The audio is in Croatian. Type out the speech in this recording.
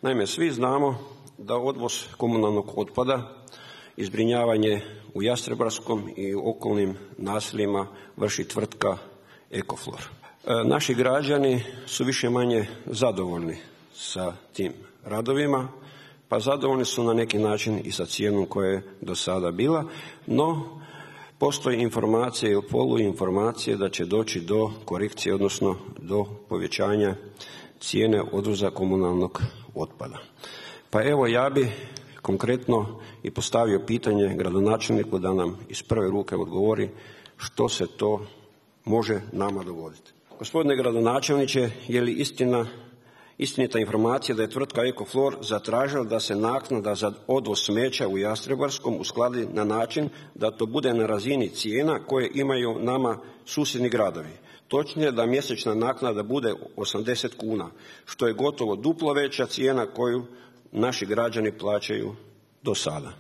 Naime, svi znamo da odvoz komunalnog otpada i zbrinjavanje u Jastrebarskom i okolnim naseljima vrši tvrtka Ecoflor. Naši građani su više-manje zadovoljni sa tim radovima, pa zadovoljni su na neki način i sa cijenom koja je do sada bila, no postoji informacije ili poluinformacije da će doći do korekcije, odnosno do povećanja cijene odvoza komunalnog otpada. Pa evo, ja bi konkretno i postavio pitanje gradonačelniku da nam iz prve ruke odgovori što se to može nama dogoditi. Gospodine gradonačelniče, je li istinita informacija da je tvrtka Ecoflor zatražila da se naknada za odvoz smeća u Jastrebarskom uskladi na način da to bude na razini cijena koje imaju nama susjedni gradovi? Točnije da mjesečna naknada bude 80 kuna, što je gotovo duplo veća cijena koju naši građani plaćaju do sada.